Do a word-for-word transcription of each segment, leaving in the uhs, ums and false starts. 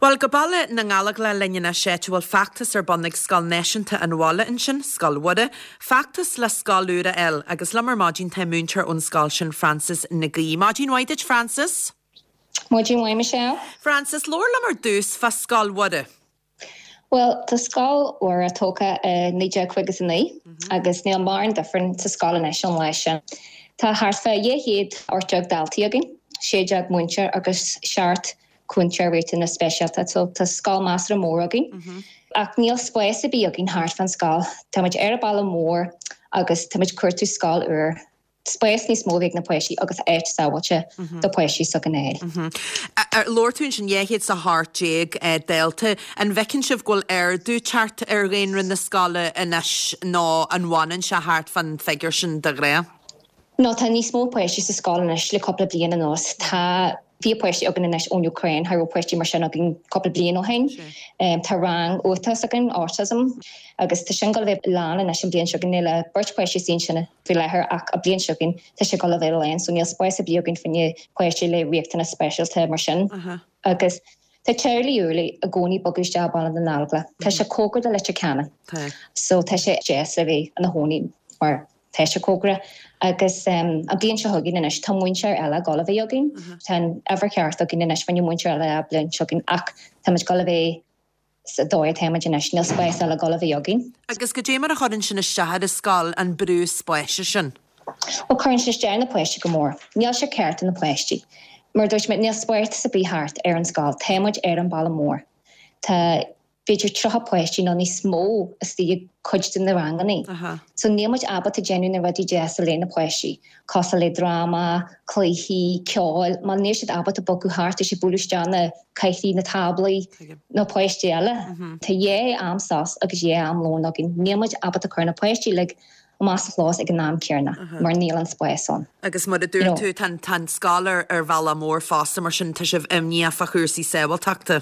Bhuel, go Baile na nGallóglach linn anois, áit a bhfuil feachtas ar bun ag Scoil Náisiúnta an Bhaile ansin, Scoil Mhuire, feachtas le scoil úr a fháil, agus liom ar maidin tá múinteoir ón scoil sin, Frances Nic Aoidh. Maidin mhaith duit, Frances. Maidin mhaith, Michelle. Frances, labhair liom ar dtús fá Scoil Mhuire. Bhuel, tá Scoil Mhuire tógtha i naoi déag caoga is a naoi agus níl mórán difear sa scoil anois ón lá sin. Tá thart fá dhá chéad ocht déag daltaí againn, sé déag múinteoir agus seacht cúntóir riachtanas speisialta, so tá scoil measartha mór againn. Ach níl spás ar bith againn thart fán scoil. Tá muid ar an baile mór agus tá muid ag cuartú scoil úr. Spás níos mó ag na páistí agus áit sábháilte do páistí s'againn a fháil. Labhair tú ansin dhá chéad is a hocht déag dalta. An bhfeiceann sibh go bhfuil ardú teacht ar dhaonra na scoile anois nó an bhfanann sé thart fán bhfigiúr sin de ghnáth? No, tá níos mó páistí sa scoil anois le cúpla bliain anuas. Tá fiche páistí againn anois ón Úcráin, cha raibh páistí mar sin againn cúpla bliain ó shin. Tá rang uathachas againn, autism, agus tá sin ag dul a bheith lán anois an bliain seo chugainn. Níl beirt páistí istigh ansin faoi láthair ach an bliain seo chugainn tá sé ag dul a bheith lán, so níl spás ar bith againn fá choinne páistí le riachtanas speisialta mar sin. Agus tá teaghlaigh úra i gcónaí bogadh isteach i Baile na nGallóglach. Tá sé cóngarach do Leitir Ceanainn. So tá sé deas le bheith ina chónaí mar tá sé cóngarach. Agus an bliain seo chugainn anois tá múinteoir eile ag dul a bheith againn. Tá an uimhir cheart againn anois fá choinne múinteoir eile an bliain seo chugainn ach tá muid ag dul a bheith sa dóigh atá muid anois, níl spás eile ag dul a bheith againn. Agus goidé mar a chuireann sin isteach ar an scoil, an brú spáis sin? Bhuel, cuireann sé isteach ar na páistí go mór. Níl sé ceart do na páistí. Mar a dúirt mé, níl spás ar bith thart ar an scoil. Tá muid ar an baile mór. Tá b'fhéidir tríocha páistí nó níos mó istigh i cuid de na ranganna. So níl muid ábalta déanamh na rudaí deasa le na páistí, cosúil le dráma, cluichí, ceol, mar níl siad ábalta bogadh thart, tá siad bualadh isteach na cathaoirí, na táblaí, na páistí eile. Tá dhá am sos agus dhá am lón againn. Níl muid ábalta cur na páistí uilig amach sa chlós ag an am céanna mar níl an spás ann. Agus mar a dúirt tú, tá an scoil ar ar bhealach mór fosta, mar sin tá sibh imníoch fá chúrsaí sábháilteachta.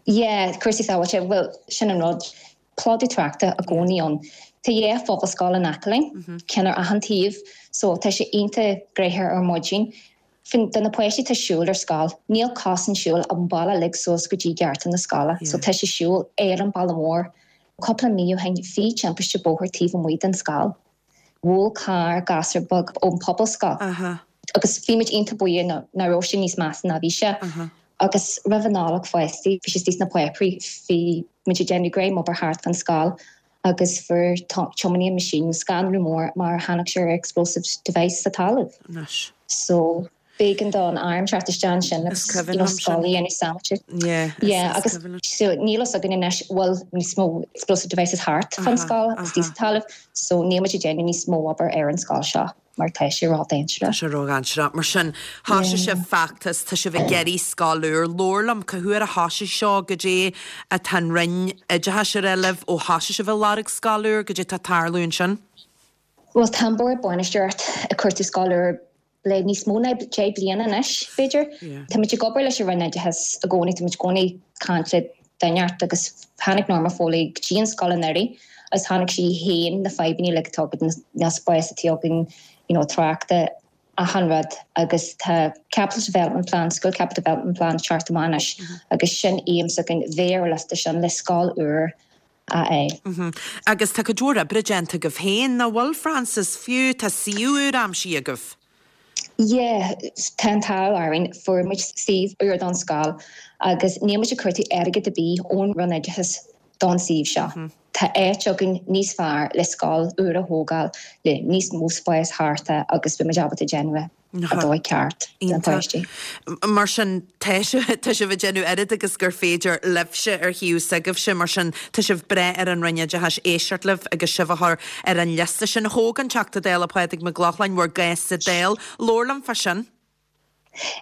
Yeah, cúrsaí sábháilte, bhuel, sin an rud. Plódú tráchta i gcónaí ann. Tá dhá phobalscoil in aice linn, ceann ar achan taobh, so tá sé iontach gnoitheach ar maidin. Do na páistí atá ag siúl ar scoil, níl cosán siúil an baile uilig suas go dtí geata na scoile, so tá sé siúl ar an baile mór. Cúpla mí ó shin bhí timpiste bóthair taobh amuigh den scoil. Bhuail carr gasúr beag ón pobalscoil. Agus bhí muid iontach buíoch nach raibh sé níos measa ná bhí sé. Agus roimh an Nollaig fosta, bhí sé istigh sna páipéirí, bhí muid ag déanamh greim obair thart fan scoil agus fuair tiománaí an machine scanrú mór mar tháinig sé ar explosive device sa talamh. Anois. So b'éigean don arm teacht isteach ansin agus you know scoil a dhéanamh sábháilte. Yeah, Yeah, agus so níl fhios againn anois bhfuil níos mó explosive devices thart fan scoil agus istigh sa talamh, so níl muid ag déanamh níos mó obair ar an scoil seo mar tá sé ródhainséarach. Tá sé ródhainséarach. Mar sin, thosaigh sibh feachtas, tá sibh ag iarraidh scoil úr. Labhair liom, cá huair a thosaigh seo, goidé atá an Roinn Oideachais ag rá libh ó thosaigh sibh ag lorg scoil úr, goidé atá ag tarlú ansin? Bhuel, tá an Bord Bainistíochta ag cuartú scoil úr le níos mó ná deich bliana anois, b'fhéidir. Tá muid ag obair leis an Roinn Oideachais i gcónaí, tá muid i gcónaí ag caint le duine agus tháinig Norma Foley go dtí an scoil anuraidh agus tháinig sí féin na fadhbanna uilig atá againn, na spás atá againn, you know, tráchta, achan rud agus tá Capital Development Plan, School Capital Development Plan teacht amach anois agus sin aidhm s'againn bheith ar liosta sin le scoil úr a fháil. Agus tá cuid mhór oibre déanta agaibh féin, nach bhfuil, Frances, fiú tá suíomh úr aimsithe agaibh? Yeah, tá an t-ádh orainn, fuair muid suíomh úr don scoil agus níl muid ag cuartú airgead ar bith ón Roinn Oideachais don suíomh seo. Tá áit againn níos fearr le scoil úr a thógáil le níos mó spás thart agus beidh muid ábalta déanamh a dóigh ceart don Iontach. pháistí. Mar sin, tá sibh tá sibh ag déanamh oiread agus gur féidir libhse ar thaobh s'agaibhse, mar sin tá sibh breá ar an Roinn Oideachais éisteacht libh agus sibh a chur ar an liosta sin. Thóg an Teachta Dála Pádraig Mac Lochlainn bhur gcás sa Dáil. Labhair liom fá sin.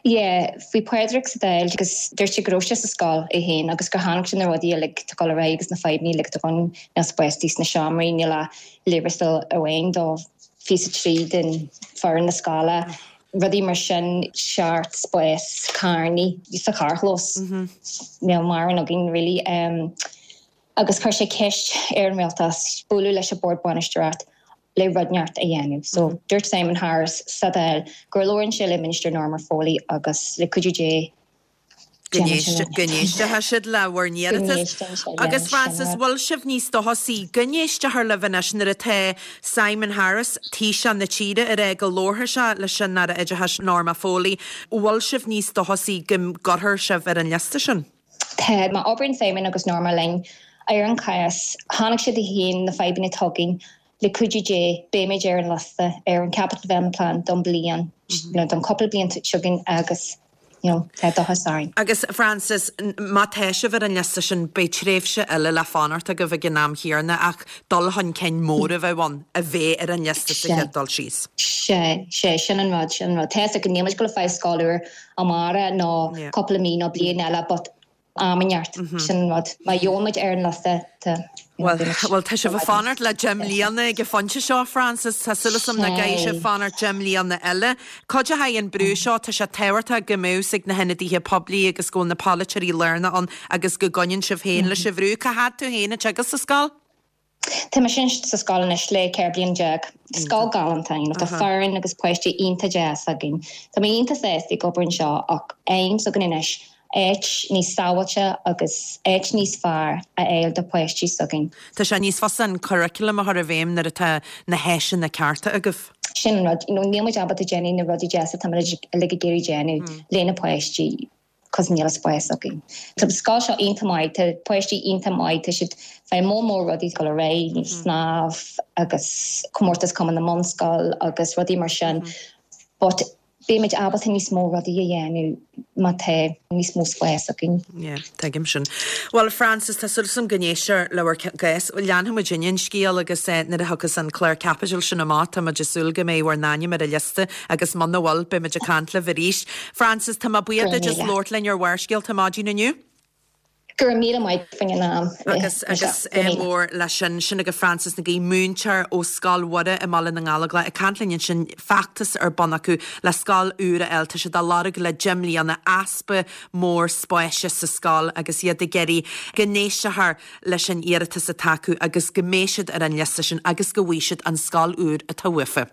Yeah, bhí Pádraig sa Dáil agus dúirt sé go raibh sé sa scoil é féin agus gur tháinig sé na rudaí uilig atá ag dul ar aghaidh agus na fadhbanna uilig atá ann, níl spás sna seomraí, níl ach leabharstail amháin do fiche trí den foireann na scoile, rudaí mar sin, seart spás carrannaí sa charrchlós. Níl mórán againn really. Um, agus chuir sé ceist ar an rialtas bualadh leis an bord bainistíochta le rud inteacht a dhéanamh. So dúirt Simon Harris sa Dáil gur labhrann sé le Minister Norma Foley agus le cuidiú Dé Go n-éistfidh siad le bhur n-iarratas. Agus Frances, bhfuil sibh níos dóchasaí go n-éistfear libh anois nuair atá Simon Harris, Taoiseach na tíre, ag rá go labharfaidh sé leis an Aire Oideachais Norma Foley, bhfuil sibh níos dóchasaí go gcuirfear sibh ar an liosta sin? Tá, má oibríonn Simon agus Norma linn ar an chás, chonaic siad féin na fadhbanna atá againn, le cuidiú Dé beimid ar an liosta ar an Capital Development Plan don bliain, nó don cúpla bliain seo chugainn agus you know, tá dóchas orainn. Agus Frances, má tá sibh ar an liosta sin, beidh tréimhse eile le fanacht agaibh ag an am chéanna ach dul chun cinn mór a bheadh ann a bheith ar an liosta sa chéad dul síos. Sé, sé, sin an rud, sin an rud. Tá a fhios againn níl muid ag gabháil a fáil scoil úr amárach nó cúpla mí nó bliain eile but am inteacht, sin an rud. Má gheobhaidh muid ar an liosta, tá. Bhuel, bhuel, tá sibh ag fanacht le deich mbliana ag an phointe seo, Frances. Tá súil agam nach gcaithfidh sibh fanacht deich mbliana eile. Cad é fá an brú seo, tá sé tábhachtach go mbeadh ag na hionadaithe poiblí agus go bhfuil na polaiteoirí lárnach ann agus go gcoinníonn sibh féin leis an bhrú. Cá fhad tú féin ag teagasc sa scoil? Tá mise sa scoil anois le ceithre bliana déag. Scoil galánta, you know, tá foireann agus páistí iontach deas againn. Tá mé iontach sásta ag obair anseo ach aidhm s'againn anois áit níos sábháilte agus áit níos fearr a fháil do pháistí s'againn. Tá sé níos fusa an curriculum a chur i bhfeidhm nuair atá na háiseanna cearta agaibh. Sin an rud, you know, níl muid ábalta déanamh na rudaí deasa atá muid uilig ag iarraidh déanamh le na páistí cos níl spás againn. Tá an scoil seo iontach maith, tá páistí iontach maith, tá siad fé mór mór rudaí go réidh, snámh agus comórtas Cumann na mBunscol agus rudaí mar sin. But beimid ábalta níos mó rudaí a dhéanamh má tá níos mó spás againn. Yeah, tuigim sin. Well Frances, tá súil agam go n-éistfear le bhur gcás. Leanfaidh muid an scéal agus eh, nuair a thiocfas an clár caipitil sin amach, tá muid ag súil go mbeidh bhur n-ainm ar an liosta agus muna bhfuil beidh muid ag caint libh arís. Frances, tá mé buíoch duit as labhairt linn ar Bharrscéalta maidin inniu. Go raibh míle maith faoin am. Agus agus mór leis sin sin agaibh Frances Nic Aoidh múinteoir ó Scoil Mhuire i mBaile na nGallóglach ag caint linn ansin feachtas ar bun acu le scoil úr a fháil tá siad á lorg le deich mbliana easpa mór spáis sa scoil agus iad ag iarraidh go n-éistfear leis an iarratas atá acu agus go mbeidh siad ar an liosta sin agus go bhfaighidh siad an scoil úr atá uafa.